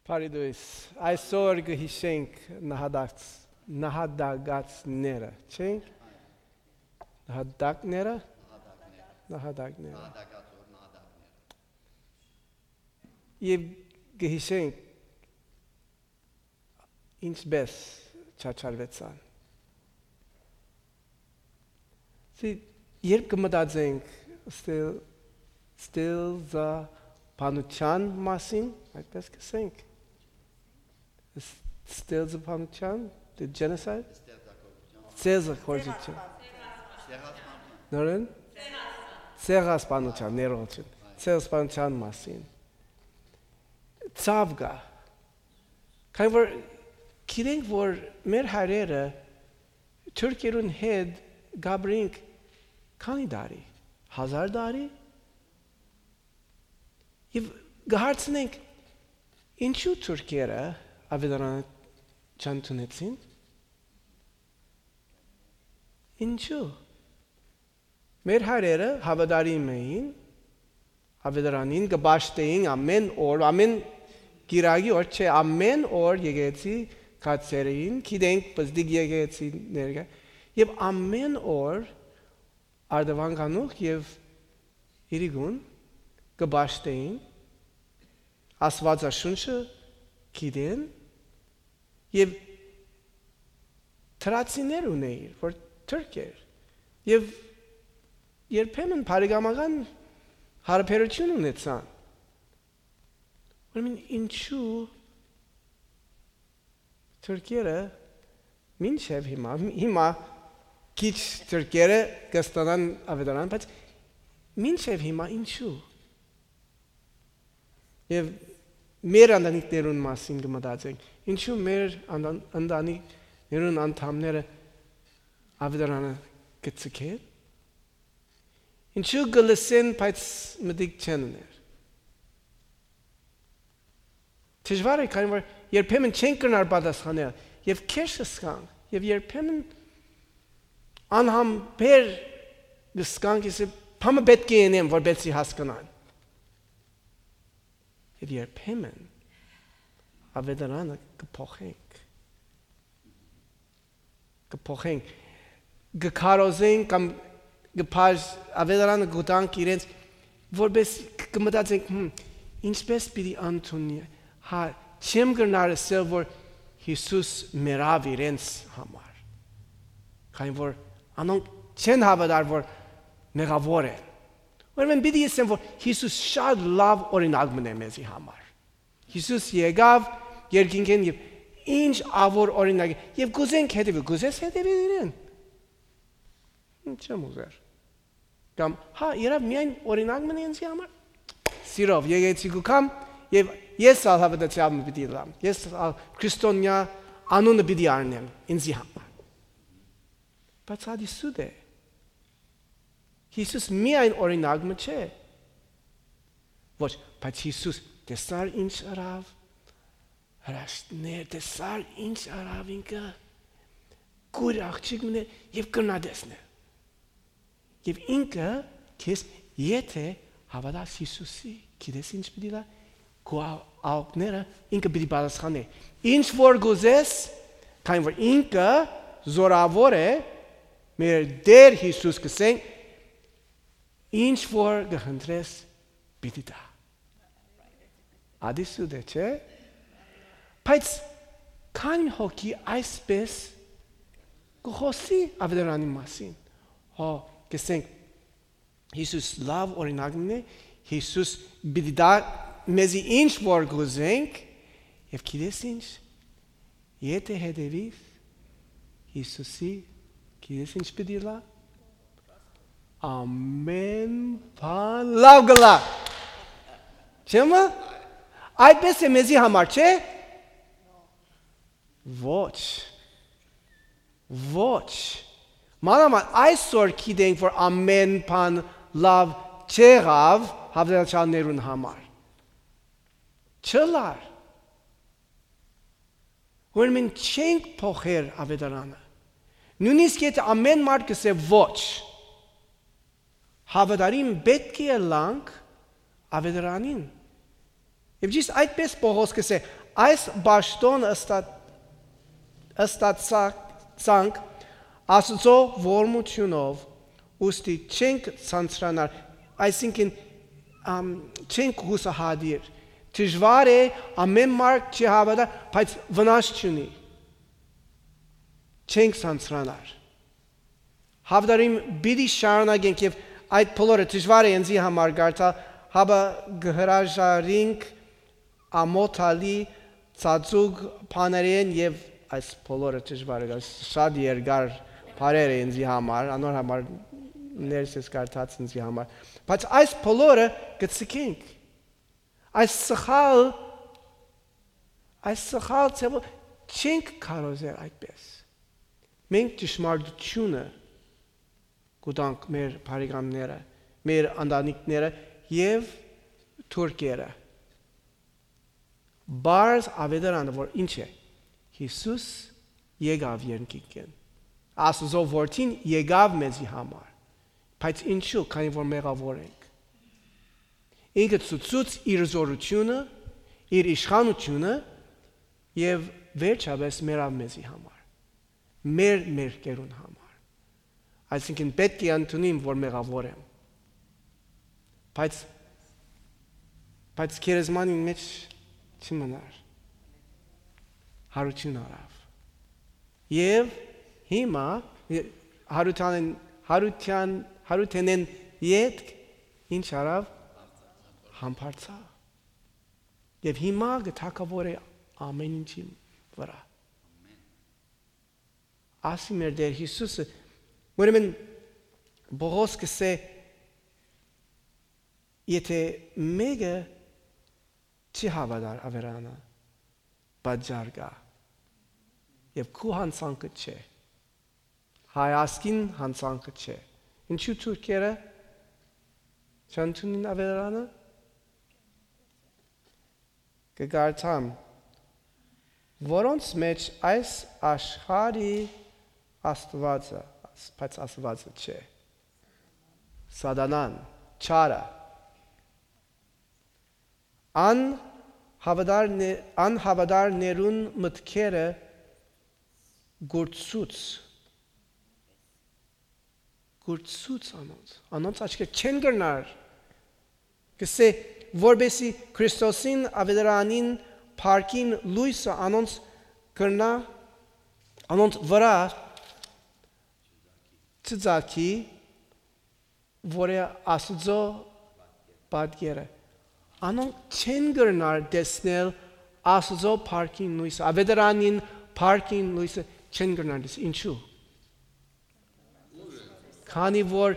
Փարիդույս, այսօր գհիշենք նահատակացները, չենք? Նահատակները? Եվ գհիշենք ինչպես չաչարվեցան։ Երբ կմտածենք ստեղծաբանության մասին, այդպես կսենք։ Ստեղծաբանության, the genocide? Ստեղծագործություն։ Նորեն? Ցեղասպանության, ներողություն։ Ցեղասպանության մասին։ Ցավ կա։ Քանի որ գիտենք, որ մեր հայրերը թուրքերուն հետ գաբրինք քանի տարի, 1000 տարի։ Եվ գահարցնենք ինչու թուրքերը ավետարանը չընդունեցին։ Ինչու։ Մեր հայրերը հավատարիմ էին ավետարանին, կպաշտեին ամեն օր, ամեն գիրագի օր, չէ, ամեն օր եկեղեցի կացերին, գիտենք պստիկ եկեղեցի ներկա, եւ ամեն օր արդավանքանուխ եւ իրիգուն կպաշտեին, Աստվածաշունչը գիտեն եւ թրացիներ ունեին, որ թուրքեր եւ երբեմն բարեկամական հարաբերություն ունեցան։ Ուրեմն ինչու թուրքերը մինչև հիմա քիչ թուրքերը կստանան ավետարան, բայց մինչև հիմա ինչու։ Եվ մեր ընտանիքներուն մասին կմտածենք, ինչու մեր ընտանիքներուն անդամները ավետարանը կցկեն։ Ինչու գլսեն, բայց մտիկ չեն ուներ։ Դժվար է, քանի որ երբեմն չեն կրնար պատասխանել, եւ քեշ սկան, եւ երբեմն անհամբեր գսկան, կիսը փամը պետք է ենեմ, որպեսզի հասկանան։ Եվ երբեմն ավետարանը կփոխենք, գքարոզենք կամ ավետարանը գտանք իրենց, որպես կմտածենք, ինչպես պիտի ընդունի, չեմ կրնար ասել, որ Հիսուս մեռավ իրենց համար, քանի որ անոնք չեն հավատար, որ մեղավոր են, ուրեմն պիտի ասեմ, որ Հիսուս շատ լավ օրինակ մնե մեզի համար, Հիսուս եկավ երկինքեն եւ ինչ ավոր օրինակ, եւ գուզենք հետևի, գուզես հետևի իրեն, չեմ ուզեր, կամ երավ միայն օրինակ մնե ինձի համար, սիրով եկեցի գուկամ, եւ ես ալ հավատացյալը պիտի լամ, ես ալ քրիստոնյա անունը պիտի առնեմ ինձի համար, բայց հադի սուտ է, Հիսուս միայն օրինակը չէ, ոչ, բայց Հիսուս տեսար ինչ արավ, հրաշտներ, տեսար ինչ արավ ինքը, գույր աղջիկ մներ եւ կրնադեսներ, եւ ինքը քեզ եթե հավատաս Հիսուսի, գիտես ինչ պիտի լա, քո աղները ինքը պիտի պատասխանի, ինչ որ գուզես, քանի որ ինքը զորավոր է, մեր Տեր Հիսուս կսենք, ինչ որ գխնդրես պիտի տա։ Ադիսուդ է, չէ? Բայց քանի հոգի այսպես կխոսի ավետարանի մասին։ Կսենք, Հիսուս լավ օրինակն է, Հիսուս պիտի տա մեզի ինչ որ գուզենք, եւ գիտես ինչ, եթե հետևείς Հիսուսի, գիտես ինչ պիտի լա, ամեն բան լավ գլա, չեմը, այդպես է մեզի համար, չէ, ոչ, մանավանդ այսօր գիտենք, որ ամեն բան լավ չեղավ հավատացյալներուն համար, չլար, ուրեմն չենք փոխեր ավետարանը, նույնիսկ եթե ամեն մարդ կսե ոչ, հավատարիմ պետք է լանք ավետարանին, Եվ ճիշտ այդպես Պողոս կսե, այս բաշտոնը ըստացանք Աստծո ողորմությունով, ուստի չենք ցանցրանալ, այսինքն չենք հուսահատիր։ Դժվար է ամեն մարդ չհավատա, բայց վնաս չունի։ Չենք ցանցրանալ։ Հավատարիմ պիտի շարունակենք եւ այդ բոլորը դժվար է ինձի համար գարտալ, հաբա գհրաժարինք ամոթալի ծածուկ բաներեն եւ այս բոլորը դժվար է, շատ երկար բարեր է ինձի համար, անոր համար ներսես գարտած ինձի համար, բայց այս բոլորը գցկենք, այս սխալ ցեվը չենք կարոզել այդպես։ Մենք ճշմարտությունը գուտանք մեր բարեկամները, մեր ընտանիքները եւ թուրքերը։ Բարձ ավետարանը, որ ինչ է, Հիսուս եկավ երկինքեն, Աստծո որդին եկավ մեզի համար, բայց ինչու, քանի որ մեղավոր ենք։ Ինքը ցույց իր զորությունը, իր իշխանությունը եւ վերջապես մեռավ մեզի համար, մեր կերուն համար։ Այսինքն պետք է ընդունեմ, որ մեղավոր եմ։ Բայց քերեզմանի մեջ չմնար։ Հարություն արավ։ Եվ հիմա հարությանեն ետք ինչ արավ համբարձա։ Եվ հիմա գթակավոր է ամեն ինչի վրա։ Ասի մեր Տեր Հիսուսը, ուրեմն Պողոս կսե, եթե մեկը չի հավատար ավերանը, պատճառ կա, եւ քու հանցանքը չէ, հայասկին հանցանքը չէ, ինչու թուրքերը չընդունին ավերանը, կգարտամ, որոնց մեջ այս աշխարհի Աստվածը, բայց Աստվածը չէ, Սատանան, չարը, անհավատարներուն մտքերը գործուց անոնց աչքերը չեն գնար, կսե, որբեսի Քրիստոսին ավետարանին փառքին լույսը անոնց կրնա, անոնց վրա ծծակի, որ է Աստծո պատկերը։ Անոնք չեն գնար տեսնել Աստծո փառքին լույսը, ավետարանին փառքին լույսը չեն գնար տեսնել, ինչու։ Քանի որ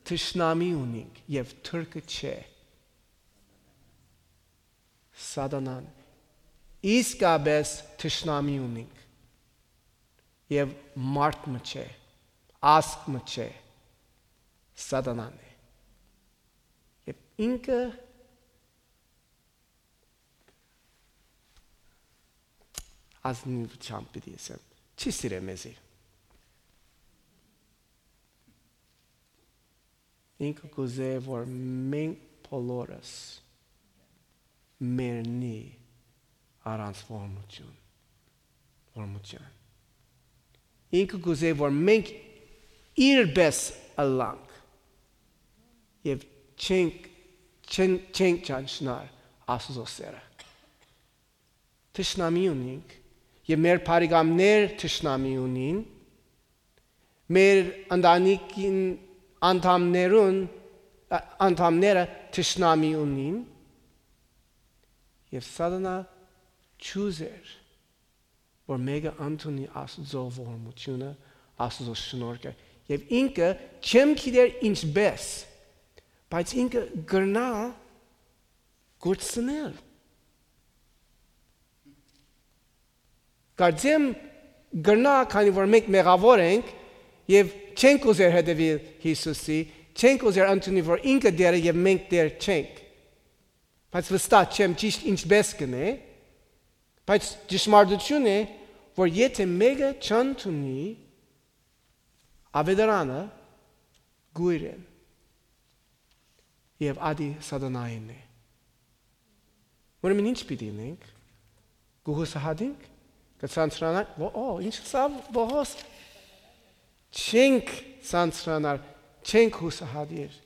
թշնամի ունենք եւ թուրքը չէ, Սատանան, իսկապես թշնամի ունենք եւ մարդ չէ, ասկ չէ, Սատանան է։ Եվ ինքը ազնիվ չամպիտի եմ, չի սիրե մեզի։ Ինքը կուզե, որ մենք բոլորս մերնի առանց ողորմություն։ Ինքը կուզե, որ մենք իրպես ըլլանք եւ չենք ճանչնար Աստծո սերը։ Թշնամի ունենք եւ մեր բարեկամներ թշնամի ունին, մեր ընտանիքին անդամները թշնամի ունին եւ Սատանա չուզեր, որ մեկը ընդունի Աստծո ողորմությունը, Աստծո շնորհքը եւ ինքը չեմ գիտեր ինչպես, բայց ինքը գրնա գործնել։ Կարծեմ գրնա, քանի որ մենք մեղավոր ենք եւ չենք ուզեր հետևել Հիսուսի, չենք ուզեր ընդունի, որ ինքը դեր է եւ մենք դեր չենք։ Բայց վստահ չեմ ճիշտ ինչպես կնե, բայց ճշմարտություն է, որ եթե մեկը չընդունի ավետարանը գույր է եւ ադի Սատանային է։ Ուրեմն ինչ պիտի լինենք։ Գուհուսահատենք, կցանցրանանք, ինչ սավ բողոս չենք ցանցրանալ, չենք հուսահատիր։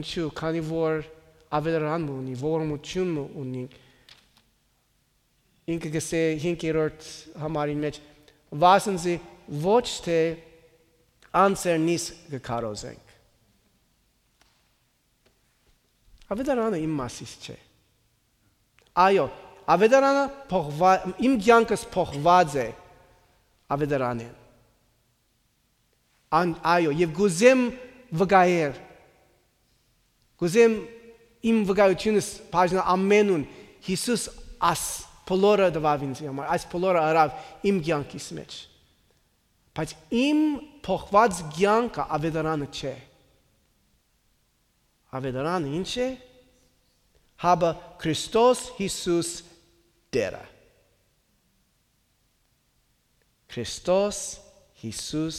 Ինչու, քանի որ ավելարան ունի, ողորմություն ունի։ Ինքը գսե 5-րդ համարին մեջ վասնզի ոչ թե անձերնից կքարոզենք։ Ավետարանը իմ մասից չէ։ Այո, ավետարանը իմ կյանքս փոխված է ավետարանին։ Այո, եւ գուզեմ վկայել։ Գուզեմ իմ վկայությունս բաժնել ամենուն Հիսուս աս բոլորը դվավ ինձ համար, այս բոլորը արավ իմ կյանքիս մեջ։ Բայց իմ փոխված կյանքը ավետարանը չէ։ Ավետարանը ինչ է։ Հաբը Քրիստոս Հիսուս Տերը։ Քրիստոս Հիսուս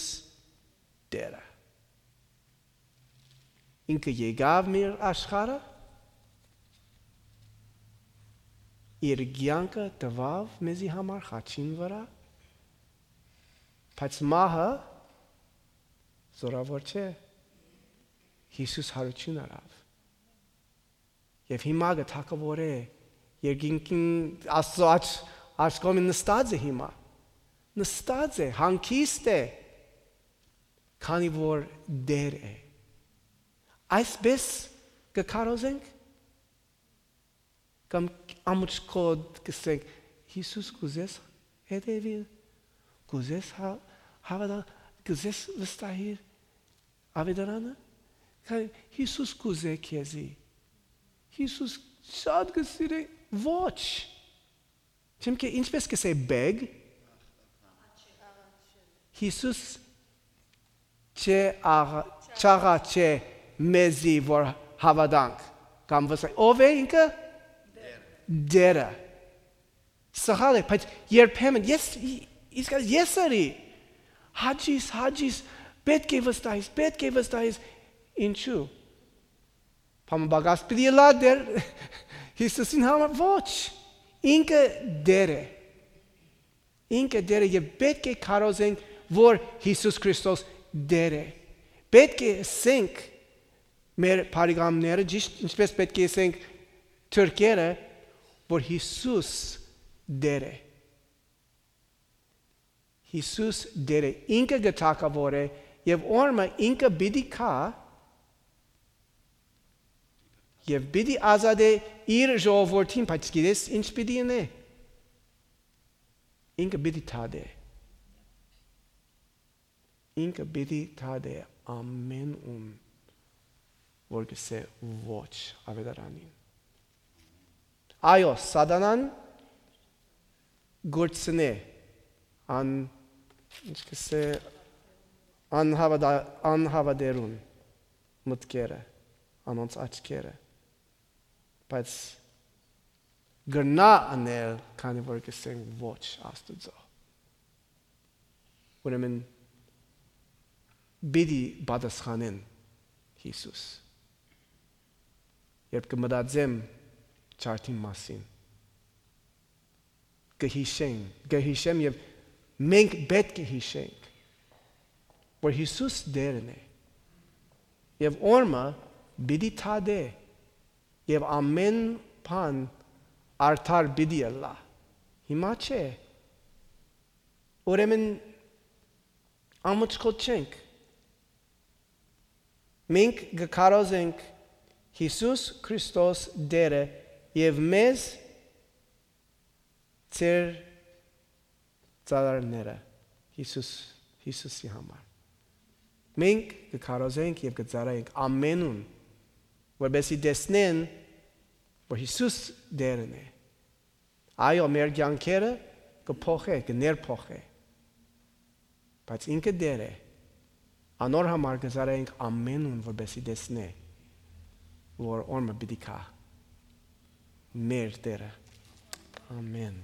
Տերը։ Ինքը եկավ մեր աշխարհը, իր կյանքը տվավ մեզի համար խաչին վրա, բայց մահը զորավոր չէ, Հիսուս հարություն արավ։ Եվ հիմա գթակավոր է, երկինքին Աստծո աչքոմին նստած է հիմա, նստած է, հանգիստ է, քանի որ դեր է։ Այսպես կքարոզենք, կամ ամուջկոդ կսենք, Հիսուս կուզես հետևիլ, կուզես հավատալ, կուզես վստահիր ավետարանը, Հիսուս կուզե քեզի, Հիսուս շատ կսիրե, ոչ, չեմ կե ինչպես կսե բեգ, Հիսուս չաղա չէ մեզի, որ հավատանք, կամ վստահ, ով է ինքը? Դերը։ Սխալ է, բայց երբեմն, ես արի, հաջիս, պետք է վստահիս, ինչու? Պամբագաս պիտի լա դեր, Հիսուսին համար, ոչ, ինքը դեր է, և պետք է կարոզենք, որ Հիսուս Քրիստոս դեր է, պետք է ասենք, մեր բարեկամները, ինչպես պետք է ասենք թուրքերը, որ Հիսուս դեր է։ Հիսուս դեր է, ինքը գթակավոր է, և օրմը ինքը պիտի կա, և պիտի ազատ է իր ժողովրդին, բայց գիտես ինչ պիտի ինե։ Ինքը պիտի թադե։ Ինքը պիտի թադե ամեն ում, որ գսե ոչ ավետարանին։ Այո, սատանան գործնե անհավատերուն մտքերը, անոնց աչքերը, բայց գրնա անել, քանի որ գսենք ոչ Աստծո։ Ուրեմն պիտի պատասխանեն Հիսուս։ Երբ կմտածեմ ճարտի մասին, կհիշեմ և մենք պետք է հիշենք, որ Հիսուս դերն է, և օրմը պիտի թադե, և ամեն բան արդար պիտի ելա։ Հիմա չէ։ Ուրեմն ամուջկոտ չենք։ Մենք կքարոզենք Հիսուս Քրիստոս դերը և մեզ ծեր ծառաները Հիսուսի համար։ Մենք կքարոզենք և կծառայենք ամենուն, որպեսզի տեսնեն, որ Հիսուս դերն է։ Այո, մեր կյանքերը կփոխե, կներփոխե, բայց ինքը դեր է։ Անոր համար կծառայենք ամենուն, որպեսզի տեսնե, որ օրմը պիտի կա մեր Տերը։ Ամեն։